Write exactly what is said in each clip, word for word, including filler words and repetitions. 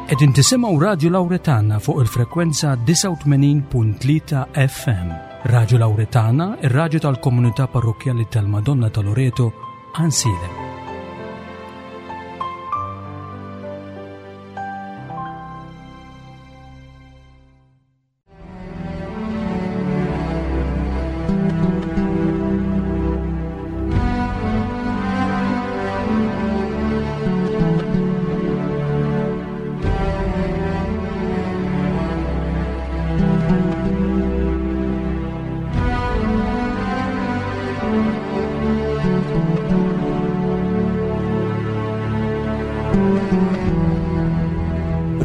Qegħdin tisimgħu Radio Lauretana fuq il-frekwenza disgħa u tmenin punt tlieta F M. Radio Lauretana, ir-radju tal-Komunità Parrokkjali tal-Madonna ta' Loreto, Għajnsielem.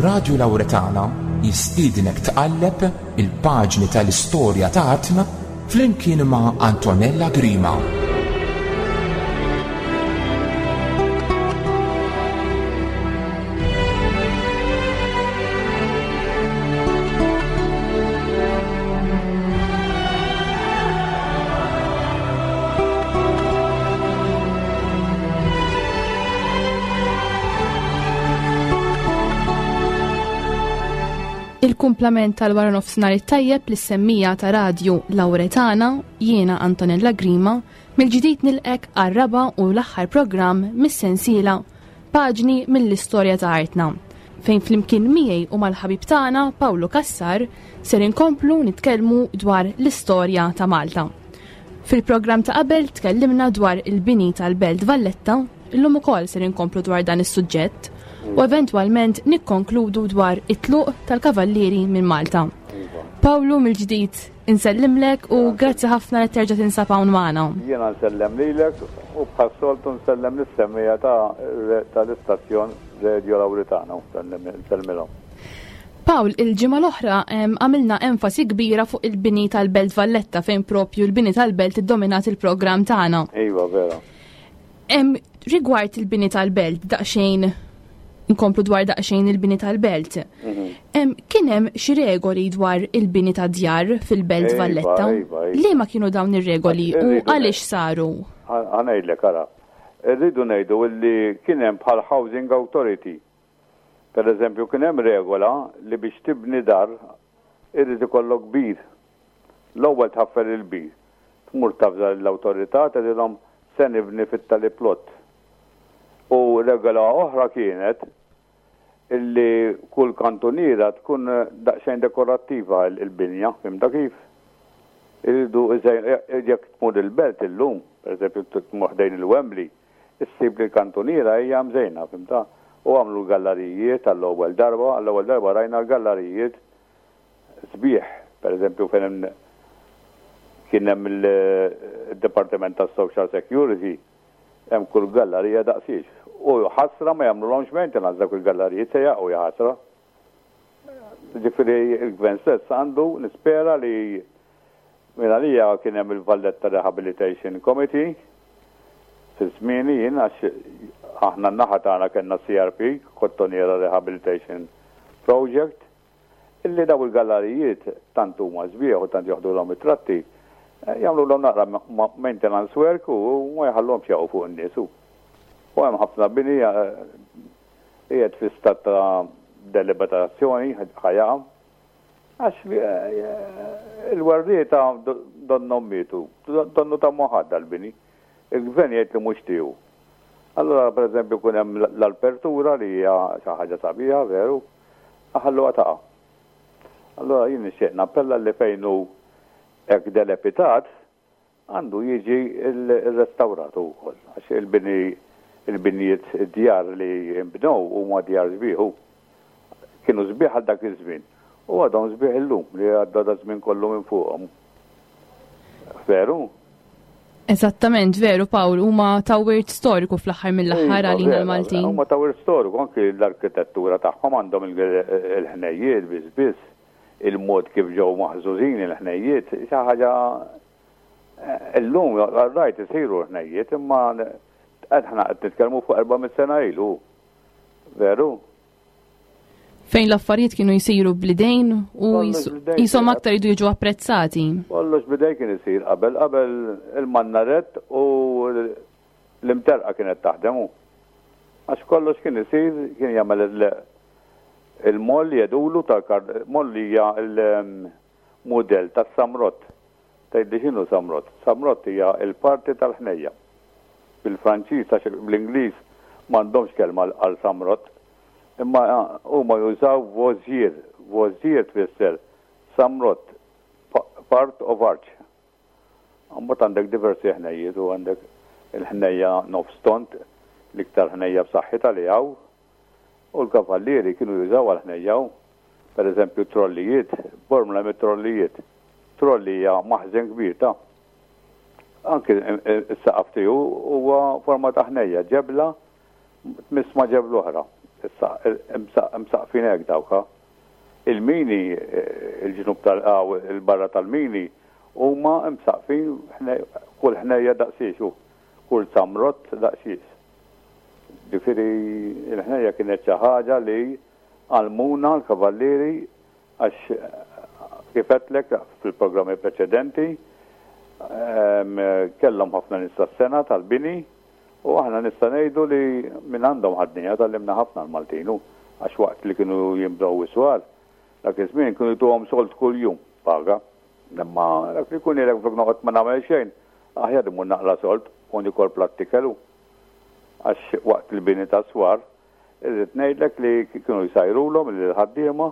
Radio Lauretana jistiednek tqalleb il-paġni tal-istorja ta' artna flimkien ma' Antonella Grima. Il-kumplament tal-wara nofsinhar it-tajjeb lis-semmiegħa ta' Radju Lauretana, jiena Antonella Grima, mill-ġdid nilqgħek għar-raba' u l-aħħar programm mis-sensiela Paġni mill-istorja ta' artna, fejn flimkien miegħi u mal-ħabib tagħna Pawlu Cassar ser inkomplu nitkellmu dwar l-istorja ta' Malta. Fil-programm ta' qabel tkellimna dwar il-bini tal-Belt Valletta, illum ukoll ser inkomplu dwar dan is-suġġett u eventwalment nikkonkludu dwar it-tluq tal-kavallieri minn Malta. Pawlu, mill-ġdid insellimlek u grazzi ħafna li terġa' tinsab hawn magħna. Jiena nsellem lilek u bħas-soltu nsellem lis-semmiegħa ta' tal-istazzjon Radio Lauretana, nsellmilhom. Pawl, il-ġimgħa l-oħra għamilna enfasi kbira fuq il-bini tal-Belt Valletta, fejn propju l-bini tal-Belt iddominat il-programm tagħna. Iva, vera. Rigward il-bini tal-Belt, daqsxejn nkomplu dwar daqsxejn il-bini tal-belt. Mhm. Kien hemm xi regoli dwar il-bini ta' djar fil-Belt Iva, Valletta? Iva, iva. Liema kienu dawn ir-regoli u Irridu għaliex saru? Ħa ngħidlek, ara. Irridu ngħidu li kien hemm bħal Housing Authority. Per eżempju, kien hemm regola li biex tibni dar irrid ikollok bir. L-ewwel tħaffer il-bir. Tmur tavża l-awtorità, tgħidilhom se nibni fit-tali plot. U regola oħra kienet illi kull kantuniera tkun daqsxejn dekorattiva il-binja, fhimtha kif? Irridu, jekk tmur il-belt illum, per eżempju tmur ħdejn il-Wembley, issib li l-kantuniera hija mżejna, fhimtha? U għamlu l-gallerijiet għall-ewwel darba, għall-ewwel darba rajna l-gallerijiet sbieħ, per eżempju fejn hemm kien hemm il-Dipartiment tas-Social Security, hemm kull gallerija daqsiex. U ħasra ma jagħmlulhomx maintenance dak il-gallerijiet, se jaqgħu, ja ħasra. Ġifieri il-gvern stess għandu, nispera li minn għalija kien hemm il-Valletta Rehabilitation Committee fi żmieni jien, għax aħna n-naħa tagħna kellna C R P, Kottonera Rehabilitation Project, illi daw il-gallerijiet tant huma sbieħ u tant joħdulhom it-tratti, jagħmlu naqra maintenance work u ma jħallhomx jaqgħu fuq in-nies. U hemm ħafna bini qiegħed fi stat ta' deliberazzjoni ħa jaqa'. Għax il-werrieta donnhom mietu, donnu ta' moħadda l-bini. Il-gvern jgħid li mhux tiegħu. Allora, per eżempju, kun hemm l-apertura li hija xi ħaġa sabiħa, veru, ħalluha taqa'. Allora jien nixtieq nappella li fejn hu hekk dilapidat għandu jiġi il-restawrat ukoll. Għax il-bini il-binijiet, id-djar li nbnew huma djar sbieħ. Kienu sbieħ għal dak iż-żmien. U għadhom sbieħ illum li għadda da żmien kollu minn fuqhom. Veru? Eżattament, veru Pawl, huma ta' wirt storiku fl-aħħar mill-aħħar Iva, għalina vera, l-Maltin. Huma ta' wirt storiku, anki l-arkitettura tagħhom għandhom il-ħnejjiet biss biss, il-mod kif ġew maħżużin il-ħnejjiet, xi ħaġa illum rajt isiru l-ħnejjiet, imma aħna qed nitkellmu fuq erba' sena ilu. Veru? Fejn l-affarijiet kienu jsiru bl-idejn u Kollox bl-idejn jisom kien. aktar jridu jiġu apprezzati. Kollox bl-idejn kien isir qabel, qabel il-mannaret u l-imterqa kienet taħdem. Għax kollox kien isir, kien jagħmel Il-moll jedulu tal-moll hija il-mudell tas-samrott. Tgħidli x'inhu samrott? Samrott hija l-parti tal-ħnejja. Bil-Franċiż għax bl-Ingliż m'għandhomx kelma għal samrott, imma huma jużaw vozier. Vozier tfisser samrott, part of arch. Mbagħad għandek diversi ħnejjiet u għandek il-ħnejja nofs tond, l-iktar ħnejja b'saħħitha li hawn. U l-kavallieri kienu jużaw għal-ħnejja, per eżempju trollijiet, Bormla mit-trollijiet. Trolli hija maħżen kbir ta' anki s-saqaf tiegħu huwa forma ta' ħnejja, ġebla tmiss ma' ġebla oħra. Msaqfin hekk dawka. Il-mini, il-ġnub tal il-barra tal-mini, huma msaqfin kull ħnejja daqsiex u kull samrott daqsiex. Ġifieri il-ħnejja kienet xi ħaġa li għallmuna l-kavallieri għax kif għedtlek fil-programmi preċedenti kellhom ħafna nies tas-sengħa tal-bini u aħna nista' ngħidu li minn għandhom ħadnija tgħallimna ħafna l-Maltinu għax waqt li kienu jimbnew is-swar dak iż-żmien kienu jtuhom sold kuljum paga. Imma dak li jkun jgħidlek flok noqgħod ma nagħmel xejn, aħjar imur naqla sold u nikol platt ikel. Għax waqt il-bini tas-swar, irrid ngħidlek li kienu jsajrulhom lill-ħaddiema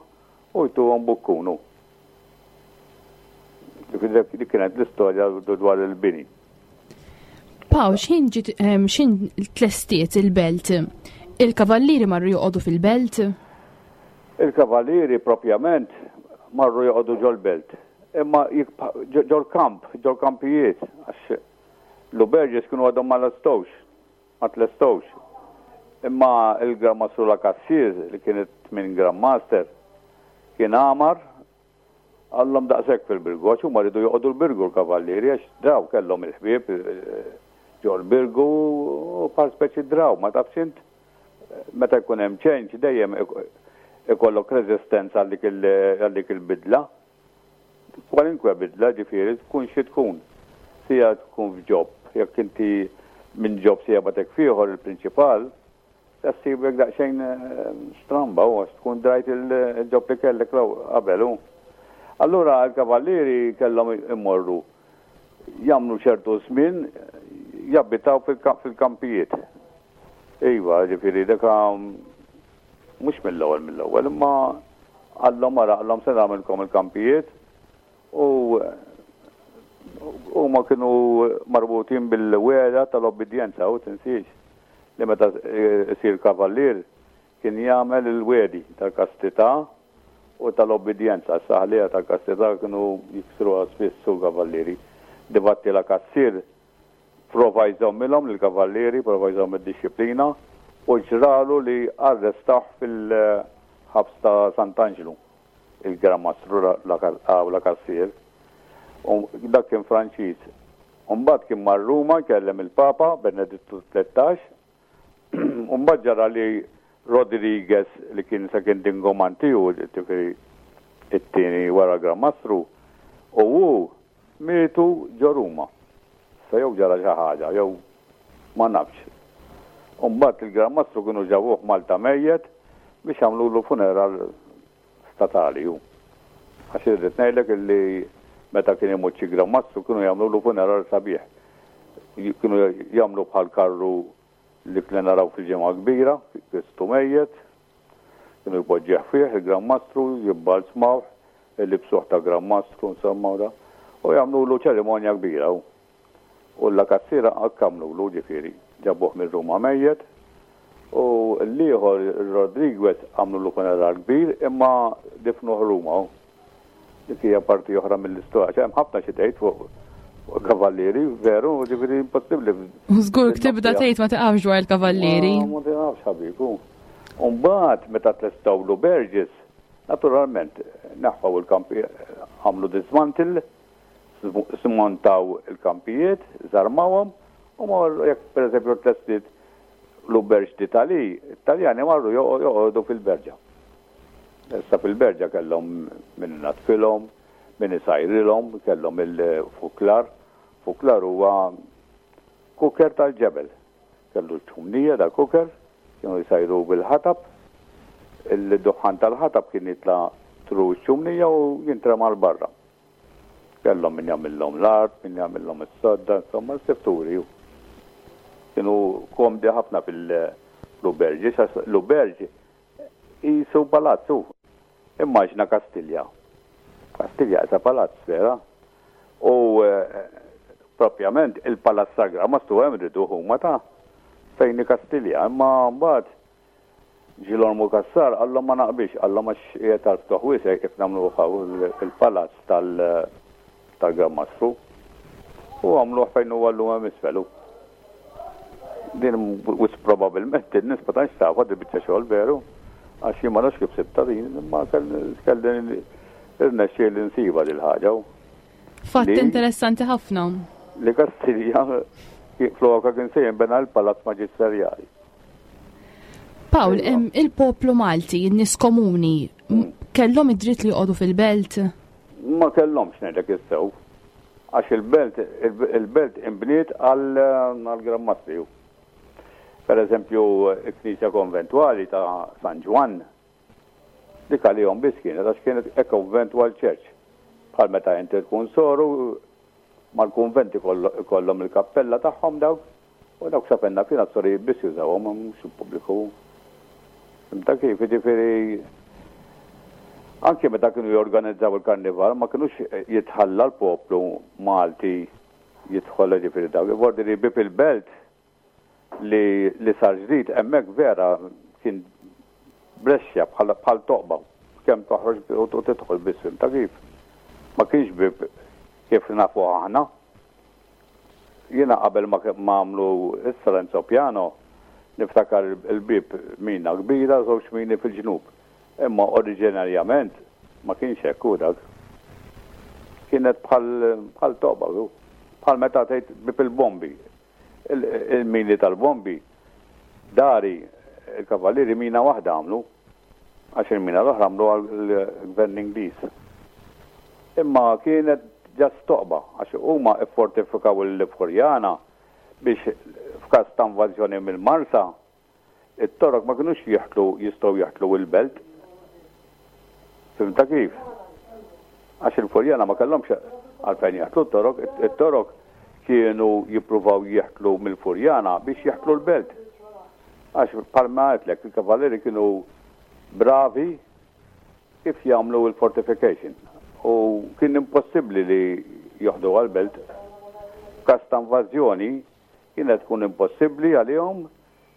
u jtuhom bukkunu. Dik kienet l-istorja dwar il-bini. Paw, x'ħin ġiet x'ħin tlestiet il-belt? Il-kavallieri marru joqogħdu fil-belt? Il-kavallieri propjament marru joqogħdu ġol-belt. Imma ġol-kamp, ġol-kampijiet, għax l-auberges kienu għadhom ma lestowx, ma tlestowx. Imma il-Gran Mastru La Cassier, li kienet minn Grand Master, kien għamar għallhom daqshekk fil-Birgu, għax huma rridu joqogħdu l-Birgu l-kavallieri, għax draw kellhom il-ħbieb ġol-Birgu u bħal speċi draw, ma tafx int meta jkun hemm change dejjem ikollok reżistenza għal dik il-bidla. Kwalinkwe bidla ġifieri tkun xi tkun. Sija tkun f'job, jekk inti minn job sija batek fieħor il-prinċipal, tassibek daqsxejn stramba u għax tkun drajt il-job li kellek qabel. Allura l-kavallieri kellhom immorru jagħmlu ċertu żmien jabbitaw fil-kampijiet. Iva, ġifieri dak mhux mill-ewwel mill-ewwel, imma għallhom wara għallhom se nagħmilkom il-kampijiet u huma kienu marbutin bil-wegħda tal-obbedjenza u tinsiex li meta isir kavallier kien jagħmel il-wegħdi tal-kastità u tal-obbedjenza. Saħlija tal-kastità kienu jiksruha spiss u kavallieri. Difatti La Cassier prova jżommilhom lill-kavallieri, prova jżomm id-disciplina u ġralu li arrestaw fil-ħabs ta' Sant'Angelo, il-Gran Mastru La Cassier. U dak kien Franċiż. U mbagħad kien mar Ruma kellem il-Papa Benedittu tlettax. U mbagħad ġara li Rodriguez li kien second in command tiegħu, ġifieri it-tieni wara Gran Mastru, u hu mietu ġo Ruma. Sa jew ġara xi ħaġa, jew ma nafx. U mbagħad il-Gran Mastru kienu ġabuh Malta mejjet biex jagħmlulu funeral statali hu. Għax irrid ngħidlek illi meta kien imut xi Gran Mastru kienu jagħmlulu funeral sabiħ. Kienu jagħmlu bħal karru li kien naraw fil-ġimgħa kbira, Kristu mejjet, kienu jpoġġih fih il-Gran Mastru, jibbalzmawh, il-libsuh ta' Gran Mastru, insomma, da, u jagħmlulu ċerimonja kbira. U La Cassiera hekk għamlulu ġifieri, ġabuh minn Ruma mejjet, u l-ieħor Rodriguez għamlulu funeral kbir imma difnuh Ruma. Dik hija parti oħra mill-istorja. Hemm ħafna xi tgħid fuq kavallieri, veru, ġifieri impossibbli. U żgur tibda tgħid ma tiqafx dwar il-kavallieri. Ma tiqafx ħabibu. U mbagħad meta tlestew l-auberges, naturalment neħħew il-kampi, għamlu dismantle, smontaw il-kampijiet, żarmawhom, u marru jekk pereżempju tlestiet l-auberge d'Italie, Italjani marru joqogħdu fil-berġa. Issa fil-berġa kellhom min natfilhom, min isajrilhom, kellhom il-fuklar. Fuklar huwa kuker tal-ġebel. Kellu ċumnija dal-kuker, kienu jsajru bil-ħatab, Il-duħħan tal-ħatab kien jitla' through ċ-ċumnija u jintrema 'l barra. Kellhom min jagħmilhom l-art, min jagħmilhom is-sodda, insomma s-sifturi. Kienu komdi ħafna fil-auberge, l-auberge qisu palazzu. Immaġina Kastilja. Kastilja qisha palazz, vera. U eh, propjament il-Palazz Sagra ma stu hemm ridu huma ta' fejn Kastilja, imma mbagħad Ġilormu Cassar qallhom ma naqbilx, qallhom għax qiegħed tal-ftuħ wiesa' kif nagħmlu il-palazz tal-Gran Mastru. U għamluh fejn huwa llum hemm isfel. Din wisq probabbilment in-nies ma tantx tafha di biċċa xogħol veru, għax jien ma nafx kif sibtha din, imma kelli irnexxieli nsibha dil ħaġa. Fatt interessanti ħafna. Li Kastilja flokha kien se jinbena l-Palazz Maġisterjali. Pawl, il-poplu Malti, in-nies komuni, kellhom id-dritt li joqogħdu fil-belt? Ma kellhomx ngħidlek is-sew. Għax il-belt il-belt imbniet għal-Gran Mastri. Per eżempju, il-Knisja Konventwali ta' San Ġwann, dik għalihom biss kienet, għax kienet a conventual church. Bħal meta inti tkun soru, mal-kunventi kollhom il-kappella tagħhom dawk, u dawk sa fejn naf jiena s-sorijiet biss jużawhom, mhux il-pubbliku. Ta' kif, jiġifieri anke meta kienu jorganizzaw il-karnival ma kinux jitħalla l-poplu Malti jidħol ġifieri dawk. Vordi li bieb il-belt li, li sar ġdid hemmhekk vera kien brexxa bħal bħal toqba kemm toħroġ u tidħol biss ta' kif. Ma kienx bieb kif nafu aħna. Jiena qabel ma għamlu issa Renzo Piano niftakar il-bib mina kbira, żewġ mini fil-ġnub. Imma oriġinarjament ma kienx hekk u dak. Kienet bħal bħal toqba, bħal meta tgħid bieb il-bombi. Il-mini tal-bombi dari il-kavallieri mina waħda għamlu, għax il-mina l-oħra għamlu għal-gvern Ingliż. Imma kienet just toqba, għax huma iffortifikaw il-Furjana biex f'każ ta' invażjoni mill-Marsa, it-Torok ma kinux jeħtlu jistgħu jeħtlu il-belt. Fhimtha kif? Għax il-Furjana ma kellhomx għalfejn jeħtlu t-Torok, it-Torok kienu jippruvaw jeħtlu mill-Furjana biex jeħtlu l-belt. Għax bħalma għedtlek, il-kavallieri kienu bravi kif jagħmlu il-fortification. U kien impossibbli li joħdu għal-belt. Każ ta' invażjoni kienet tkun impossibbli għalihom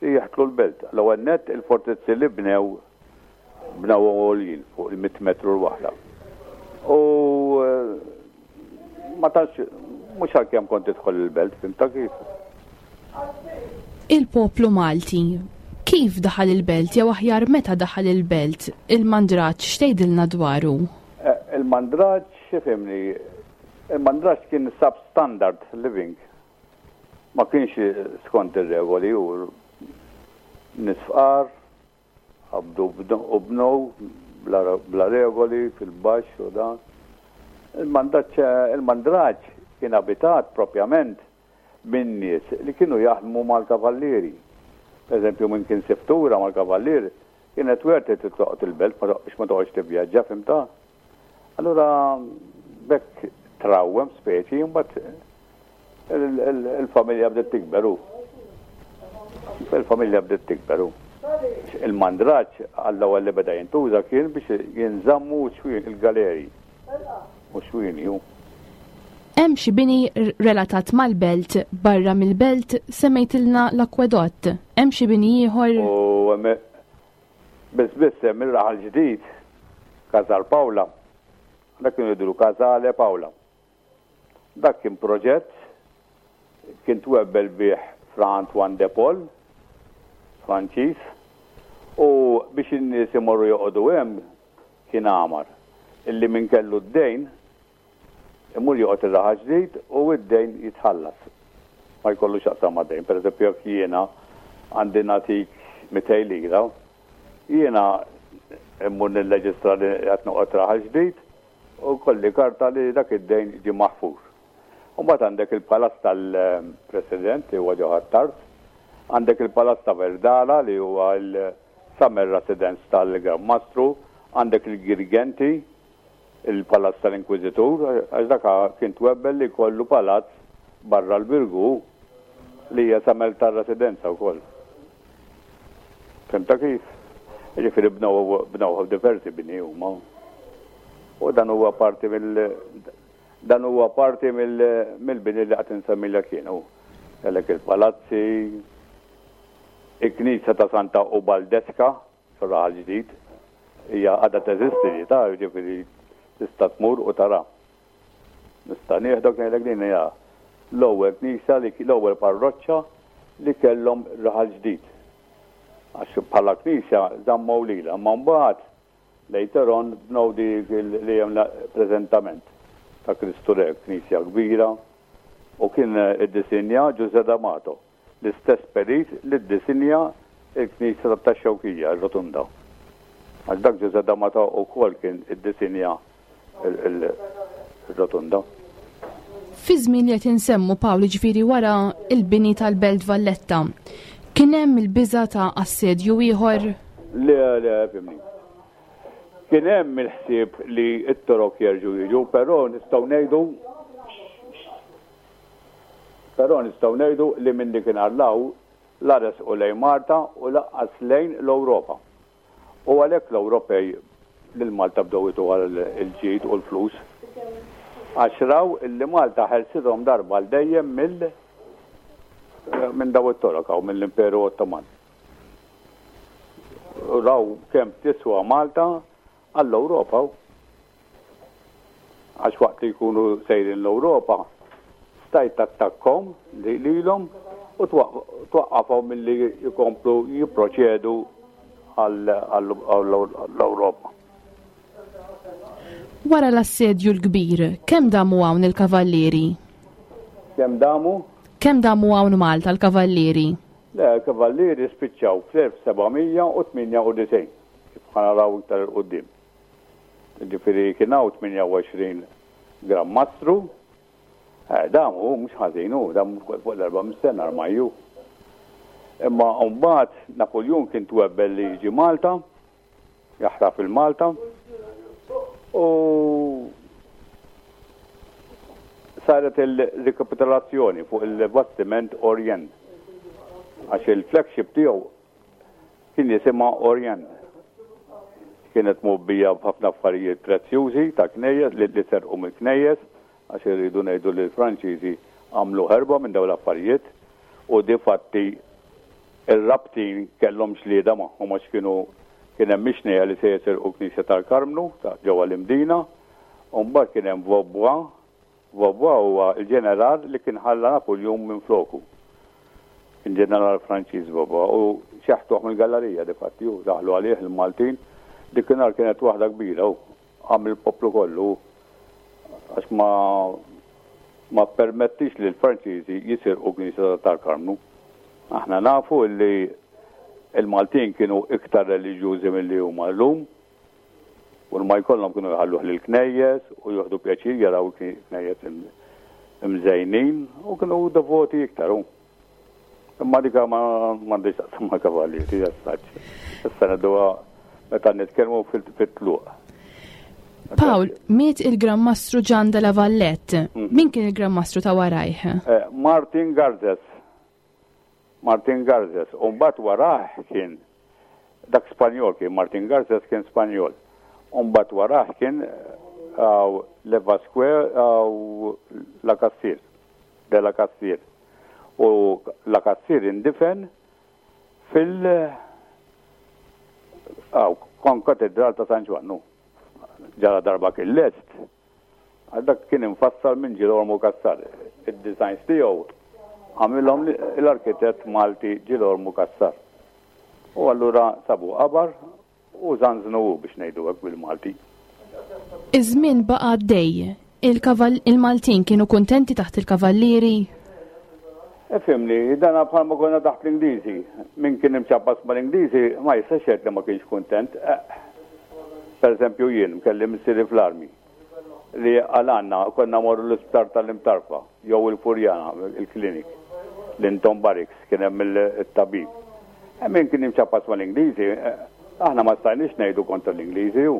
li jeħtlu l-belt. L-ewwel net il-fortizzi li bnew bnew għoljin fuq il-mitt metru l-waħda. U ma tantx mhux għalkemm kont tidħol il-belt, fhimtha kif? Il-poplu Malti kif daħal il-belt jew aħjar meta daħal il-belt, il-mandraġġ x'tgħidilna dwaru? Il-mandraġġ, xifimni, il-mandraġġ kien substandard living. Ma kienx skont ir-regoli u nies fqar, qabdu u bnew bla regoli fil-baxx u dan. Il-mandraġġ kien abitat propjament minn nies li kienu jaħdmu mal-kavallieri. Per eżempju, minn kien siftura mal-kavallieri, kienet worth it toqgħod il-belt biex ma toqgħodx tivvjaġġa, fhimtha? Allura bekk trawwem speċi, mbagħad il-familja bdiet tikberu. Il-familja bdiet tikberu. Il-mandraġġ għall-ewwel li beda jintuża kien biex jinżammu il-galeri u xwini ju. Hemm xi bini relatat mal-belt barra mill-belt semmejtilna l-akwedott. Hemm xi bini ieħor? U biss biss hemm ir-raħal ġdid Casal Paola. Dak kienu jgħidulu Casale Paola. Dak kien proġett kien twebbel bih Fra Antoine de Paul, Franċiż, u biex in-nies imorru joqogħdu hemm kien għamar illi min kellu d-dejn imur joqgħod ir-raħal ġdid u id-dejn jitħallas. Ma jkollu x'jaqsam ma' dejn. Per eżempju, jekk jiena għandi nagħtik mitejn lira, jiena immur nirreġistra li qed noqgħod raħal ġdid u kolli karta li dak id-dejn ġie maħfur. U mbagħad għandek il-palazz tal-President li huwa ġo Ħ'Attard, għandek il-palazz ta' Verdala li huwa Summer Residence tal-Gran Mastru, għandek il-Girgenti, il-Palazz tal-Inkwiżitur, għax dak kien twebbel li kollu palazz barra l-Birgu li hija summer tar-residenza wkoll. Fhimtha kif? Ġifieri bnew bnew diversi bini huma. U dan huwa parti mill dan huwa parti mill-bini li qed insemmilha kienu. Kellek il-palazzi, il-Knisja ta' Santa Ubaldeska, fir-Raħal Ġdid, hija għadha teżisti li ta' ġifieri tista' tmur u tara. Nista' nieħdok ngħidlek din hija l-ewwel knisja li l-ewwel parroċċa li kellhom Raħal Ġdid. Għax bħala knisja żammew lilha, imma mbagħad later on bnew dik li hemm preżentament ta' Kristu Re, knisja kbira, u kien iddisinja Ġuże D'Amato, l-istess perit li ddisinja il-knisja ta' Xewkija, il-Rotunda. Għax dak Ġuże D'Amato wkoll kien iddisinja il-Rotunda. Fi żmien li qed insemmu Pawl ġifieri wara il-bini tal-Belt Valletta, kien hemm il-biża ta' assedju ieħor? Le, le, fhimni. Kien hemm il-ħsieb li t-Torok jerġgħu jiġu, però nistgħu ngħidu però nistgħu ngħidu li minn dik hawn la resqu lejn Malta u lanqas lejn l-Ewropa. U għalhekk l-Ewropej lil Malta bdew jtuha il-ġid u l-flus. Għax raw illi Malta ħelsithom darba għal dejjem mill minn daw it-Torok u mill-Imperu Ottoman. Raw kemm tiswa Malta għall-Ewropa. Għax waqt li jkunu sejrin l-Ewropa, stajt tattakkom lilhom u twaqqafhom milli jkomplu jipproċedu għall-Ewropa. Wara l-assedju l-kbir, kemm damu hawn il-kavallieri? Kemm damu? Kemm damu hawn Malta l-kavallieri? Le, l-kavallieri spiċċaw fl-elf seba' mija u tmienja u disgħin, kif ħa naraw iktar 'il quddiem. Ġifieri kien hawn tmienja u għoxrin Gran Mastru, eh, damu mhux ħażin hu, damu fuq l-erba' sena armajju. Imma mbagħad Napoleon kien twebbel li jiġi Malta, jaħrab fil-Malta, u saret il-rikapitolazzjoni fuq il-bastiment Orient. Għax il-flagship tiegħu kien jisimha Orient. Kienet mgħobbija b'ħafna affarijiet prezzjużi ta' knejjes li li serqu mill-knejjes, għax irridu ngħidu li l-Franċiżi għamlu ħerba minn dawn l-affarijiet u difatti ir-Rabtin kellhom ġlieda magħhom għax kienu kien hemm mixnija li se jisirqu Knisja tal-Karmnu ta' ġewwa l-Imdina, u mbagħad kien hemm Vaubois. Vaubois huwa l-ġeneral li kien ħalla Napoleon minn floku. Kien ġeneral Franċiż Vaubois u xeħtuh mill-gallerija difatti u daħlu għalih il-Maltin. Dik nhar kienet waħda kbira u qam il-poplu kollu għax ma ma permettix li l-Franċiżi jisirqu Knisja tal-Karmnu. Aħna nafu li il-Maltin kienu iktar reliġjużi milli huma llum u ma jkollhom kienu jħalluh lil knejjes u jieħdu pjaċir jaraw il-knejjes imżejnin u kienu devoti iktar. u. Imma dika ma m'għandix taqsam ma' kavallieri, jassaċ. Issa ngħiduha meta nitkellmu fil-tluq. Pawl, miet il-Gran Mastru Gian de la Vallette. Min kien il-Gran Mastru ta' warajh? Eh, Martin Garzes. Martin Garzes. U mbagħad warah kien dak Spanjol kien Martin Garzes kien Spanjol. U mbagħad warah kien uh, Le Vasque uh, La Cassier. De la Cassier. U La Cassier indifen fil uh, kon katedral ta' San Ġwannu. Ġara darba kien lest, għal dak kien infassal minn Girolamo Cassar. Id-designs tiegħu għamilhom l-arkitett Malti Girolamo Cassar. U allura sabu qabar u zanznu biex ngħidu hekk bil-Malti. Iż-żmien baqa' għaddej. Il-Maltin kienu kuntenti taħt il-kavallieri? Ifhimni, dana bħalma konna taħt l-Ingliżi. Min kien imċappas ma l-Ingliżi ma jistax jgħid li ma kienx kuntent. Eh, Per eżempju jien kelli missieri fl-armi li għalanna konna morru l-isptar tal-Imtarfa jew il-Furjana, il-klinik, l-Intom Barracks, kien hemm il-tabib. Min kien imċappas mal-Ingliżi, aħna ma stajniex ngħidu kontra l-Ingliżi ju.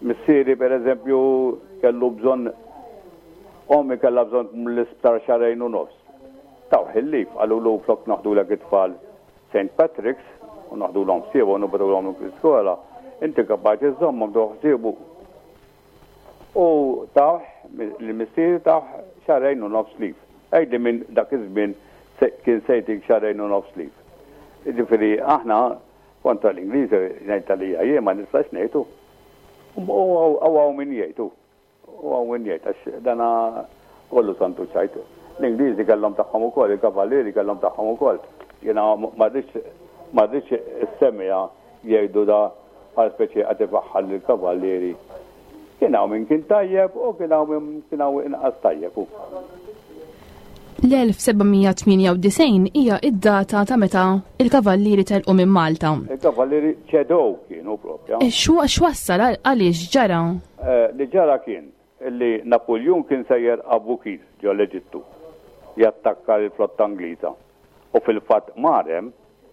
Missieri, per eżempju, kellu bżonn, ommi kellha bżonn l-isptar xahrejn u nofs. Tawh il-leave, qalulu flok noħdulek it-tfal Saint Patrick's u noħdulhom ħsiebu u nibgħatuhom l-iskola, inti kapaċi żżommhom tieħu ħsiebu. U tawh, il-missieri tawh xahrejn u nofs leave. Għidli minn dak iż-żmien kien se jtik xahrejn u nofs leave. Ġifieri aħna kontra l-Ingliżi ngħid għalija jien ma nistax ngħidu. U hawn min jgħidu. U hawn min jgħid għax dana kollu santu ċajt. L-Ingliżi kellhom tagħhom ukoll, il-kavallieri kellhom tagħhom ukoll. Jiena ma rridx issemmija jgħidu da bħal speċi qed ifaħħar lill-kavallieri. Kien hawn min kien tajjeb u kien hawn min kien hawn inqas tajjeb. L-elf seba' mija tmienja u disgħin hija id-data ta' meta il-kavallieri telqu minn Malta. Il-kavallieri ċedew kienu propja. E x'wassal għaliex ġara? Eh, li ġara kien li Napoleon kien sejjer Abukir ġo l-Eġittu jattakka l-flotta Ingliża. U fil-fatt marem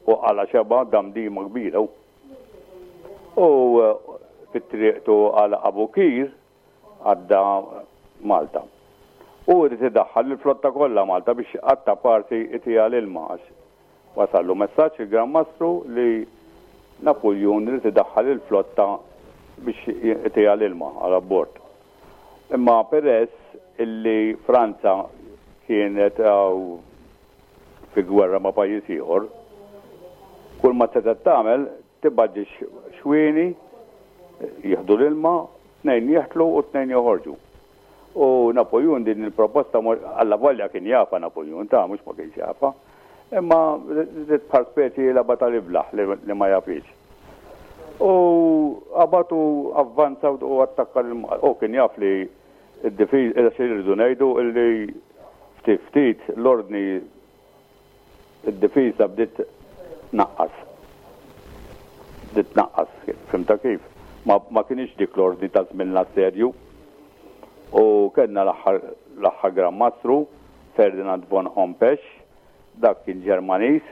u għala xeba damdima kbira. U fit-triqtu għal Abukir għadda Malta. U rrid idaħħal il-flotta kollha Malta biex għatta parti itija l-ilma għax wasallu messaġġ il-Gran Mastru li Napoleon rrid idaħħal il-flotta biex itija l-ilma għal abbord. Imma peress illi Franza kienet fi gwerra ma' pajjiż ieħor, kull ma setgħet tagħmel tibgħat xwieni jieħdu l-ilma, tnejn jeħtlu u tnejn joħorġu. U Napoleon din il-proposta alla volja kien jafa Napoleon ta' mhux ma kienx jafa, imma rrid bħal speċi lagħba tal-iblaħ li ma jafix. U qabatu avvanza u attakka l-ilma. U kien jaf li d-difiż, issa jridu ngħidu li ftit ftit l-ordni id-difiża bdiet tnaqqas. Bdiet tnaqqas, fimta kif? Ma, ma kienx dik l-ordni ta' żmien l-assedju. U kellna l-aħħar, l-aħħar Gran Mastru, Ferdinand von Hompesch, dak kien Ġermaniż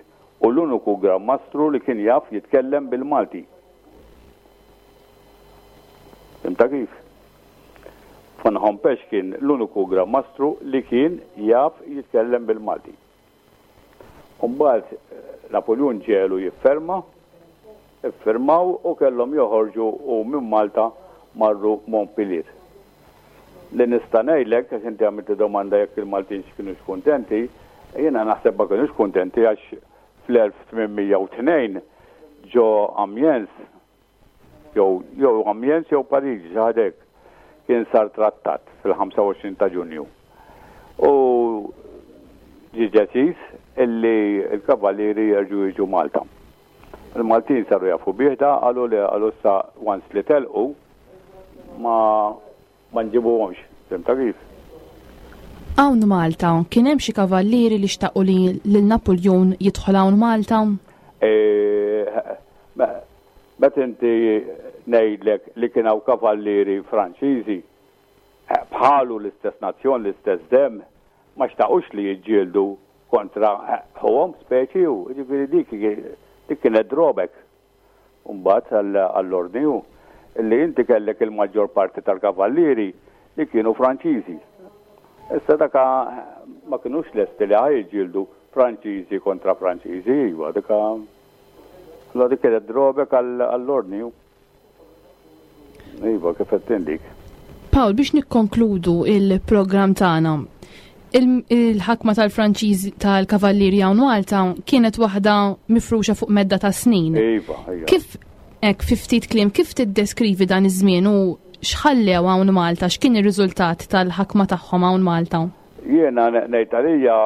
u l-uniku Gran Mastru li kien jaf jitkellem bil-Malti. Fimta kif? Von Hompesch kien l-uniku Gran Mastru li kien jaf jitkellem bil-Malti. Mbagħad Napoleon ġelu jifferma, iffirmaw u kellhom joħorġu u minn Malta marru Montpellier. Li nista' ngħidlek, għax inti għamilt domanda jekk il-Maltin kienux kuntenti, jiena naħseb ma kienux kuntenti għax fl-elf tmien mija u tnejn ġo Amiens, jew, jew Amiens jew Pariġi, xi ħadd hekk, kien sar trattat fil-ħamsa u għoxrin ta' Ġunju. U ġie deċiż illi l-kavallieri jerġgħu jiġu Malta. Il-Maltin saru jafu bih da, qalu li qalu issa once li telqu ma, ma nġibuhomx, fimta kif? Hawn Malta kien hemm xi kavallieri li xtaqu li lil Napoleon jidħol hawn Malta? E, meta inti ngħidlek li kien hawn kavallieri Franċiżi bħalu l-istess nazzjon, l-istess dem, ma xtaqux li jiġġieldu kontra ħuhom speċi u ġifieri dik, dik kienet drawback. Mbagħad għall-ordni hu li inti kellek il-maġġor parti tal-kavallieri li kienu Franċiżi. Issa daka ma kinux lesti li ħaj jiġġieldu Franċiżi kontra Franċiżi, iva, dika allora dik kienet drawback għall-ordni hu. Iva, kif qed tindik. Paul, biex nikkonkludu il-programm tagħna, il-, il-ħakma tal-Franċiżi tal-Kavallieri hawn Malta kienet waħda mifruxa fuq medda ta' snin. Iva, iva. Kif hekk fi ftit kliem, kif tiddeskrivi dan iż-żmien u x'ħallew hawn Malta, x'kien ir-riżultat tal-ħakma tagħhom hawn Malta? Jiena ngħid għalija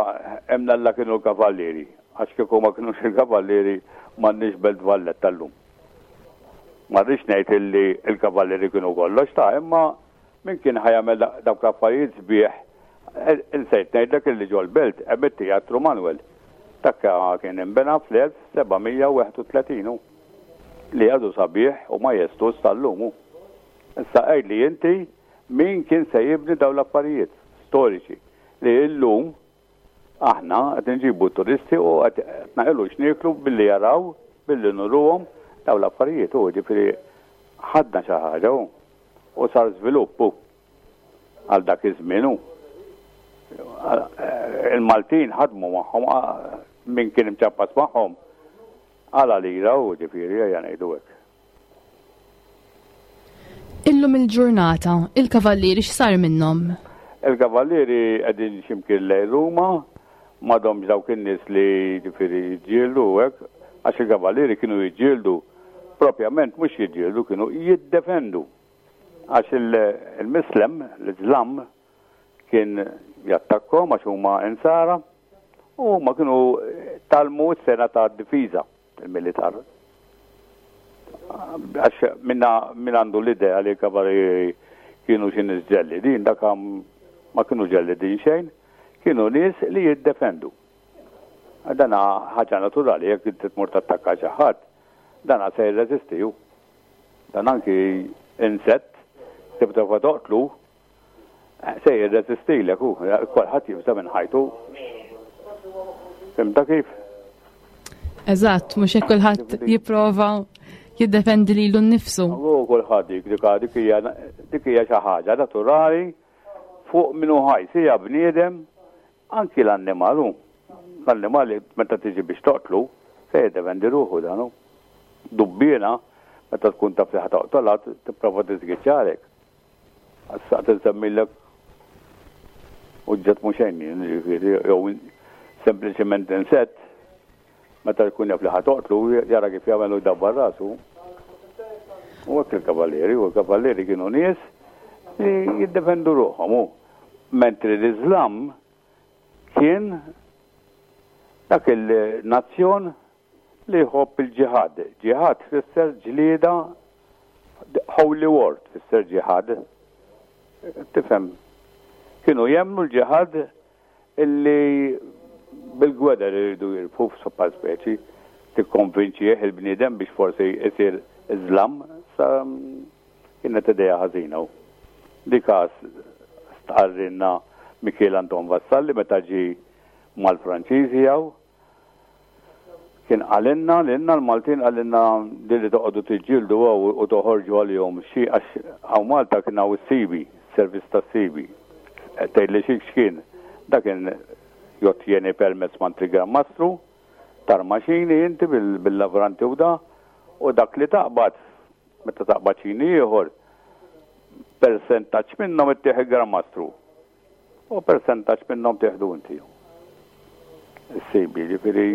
hemm Alla kienu l-Kavallieri, għax kieku ma kinux il-Kavallieri m'għandniex Belt Valletta llum. Ma rridx ngħid illi l-Kavallieri kienu kollox ta' imma min kien ħajamel dawk l-affarijiet sbieħ, insejt ngħidlek illi ġol-belt hemm it-Teatru Manuel. Takka kien inbena fl-elf seba' mija u wieħed u tletin hu, li għadu sabiħ u majestuż tal-lum hu. Issa għidli inti min kien se jibni dawn l-affarijiet storiċi li llum Aħna qed nġibu turisti u qed naqilgħu x'nieklu billi jaraw, billi nuruhom daw l-affarijiet u ġifieri ħadna xi ħaġa u u sar żvilupp u għal dak iż-żmien hu. Il-Maltin ħadmu magħhom min kien imċappas magħhom għala lira u ġifieri ejja ngħidu hekk. Illum il-ġurnata, il-kavallieri x'sar minnhom? Il-kavallieri qegħdin x'imkien lejn Ruma, m'għadhomx dawk in-nies li ġifieri jiġġieldu u hekk, għax il-kavallieri kienu jiġġieldu propjament mhux jiġġieldu, kienu jiddefendu. Għax il-Mislem, l-Iżlam, kien jattakkom għax huma insara u huma kienu talmu s-sena ta' difiża il-militar. Għax minna min għandu l-idea li l-kavallieri kienu xi nies ġellidin, dak ma kienu ġellidin xejn, kienu nies li jiddefendu. Dan ħaġa naturali, jekk inti tmur tattakka xi ħadd, dan se jirreżisti hu. Dan anki insett tibda toqtlu se jirreżistilek hu, kulħadd jibża' minn ħajtu. Fhimtha kif? Eżatt, mhux hekk kulħadd jipprova jiddefendi lilu nnifsu. U kulħadd dik dik dik hija dik hija xi ħaġa naturali fuq minnu ħaj, sija bniedem, anki l-annimal hu. L-annimali meta tiġi biex toqtlu, se jiddefendi ruħu dan hu. Dubbiena, meta tkun taf li ħa toqtolha, tipprova tiżgiċċalek. Għas-saqt insemmilek uġġet mhux xejn, jiġifieri, jew sempliċement insett, meta jkun jaf li ħa toqtlu, jara kif jagħmel u jdabbar rasu. U hekk il-kavallieri, u l-kavallieri kienu nies li jiddefendu ruħhom. U mentri l-Iżlam kien dak il-nazzjon li jħobb il-ġihad. Ġihad tfisser ġlieda, holy war tfisser ġihad. Tifhem, kienu jemmnu l-ġihad illi bil-gweder iridu jirbħu f'soppa speċi, tikkonvinċih il-bniedem biex forsi jsir Iżlam, sa kienet idea ħażina. Dika stqarrinna Mikiel Anton Vassalli meta ġie mal-Franċiżi jew kien qalilna lilna l-Maltin qalilna li li toqgħodu tiġġieldu u toħorġu għalihom xi għax hawn Malta kien hawn is-sibi, servizz tas-sibi. Tgħidli xi x'kien? Dak kien jottjeni permess mant il-Gran Mastru, tarmaxini inti bil-lavranti u da, u dak li taqbad, meta taqbad xini ieħor, persentaġġ minnhom ittieħ il-Gran Mastru. U persentaġġ minnhom tieħdu inti. Is-sibi, ġifieri.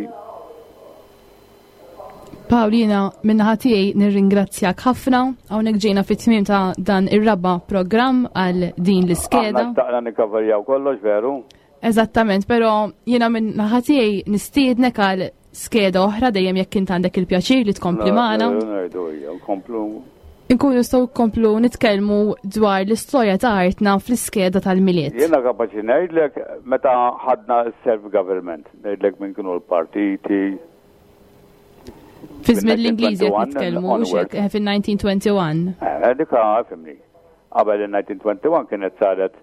Paulina, minnaħa tiegħi nirringrazzjak ħafna. Hawnhekk ġejna fit-tmiem ta' dan ir-raba' programm għal din l-iskeda. Aħna xtaqna nikkaverjaw kollox, veru? Eżattament, però jiena minnaħa tiegħi nistiednek għal skeda oħra dejjem jekk int għandek il-pjaċir li tkompli magħna. Ngħidu hija, nkomplu. Inkunu nistgħu nkomplu nitkellmu dwar l-istorja ta' artna fl-iskeda tal-Milied. Jiena kapaċi ngħidlek meta ħadna self-government, ngħidlek minn kienu l-partiti. Fi żmien l-Ingliżi qed nitkellmu, mhux hekk, eh, fin-nineteen twenty-one. Eh, dik fimni. Qabel in-nineteen twenty-one kienet saret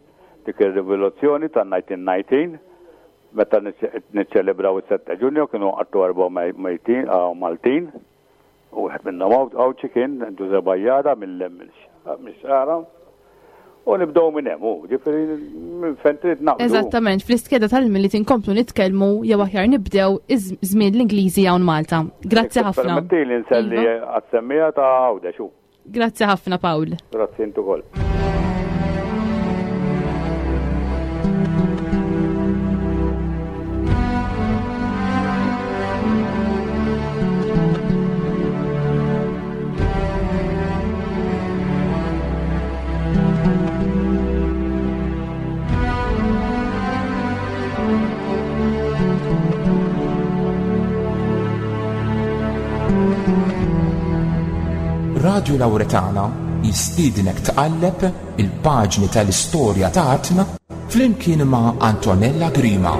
dik ir-rivoluzzjoni tan-nineteen nineteen, meta niċċelebraw is-sette Ġunju kienu qatlu erba' mejtin, ah, Maltin, u wieħed minnhom Għawdxi kien Ġuże Bajjada mill-Xagħra. U nibdew minn hemm, u ġifieri minn fejn trid naqbdu. Eżattament, fl-iskeda tal-Milied inkomplu nitkellmu jew aħjar nibdew iż-żmien l-Ingliżi hawn Malta. Grazzi Jekk ħafna. Permettili nselli Iva. għas-semmija ta' Għawdex, u. Grazzi ħafna, Pawl. Grazzi intu ukoll. Radio Lauretana jistiednek tqalleb il-paġni tal-istorja ta' artna flimkien ma' Antonella Grima.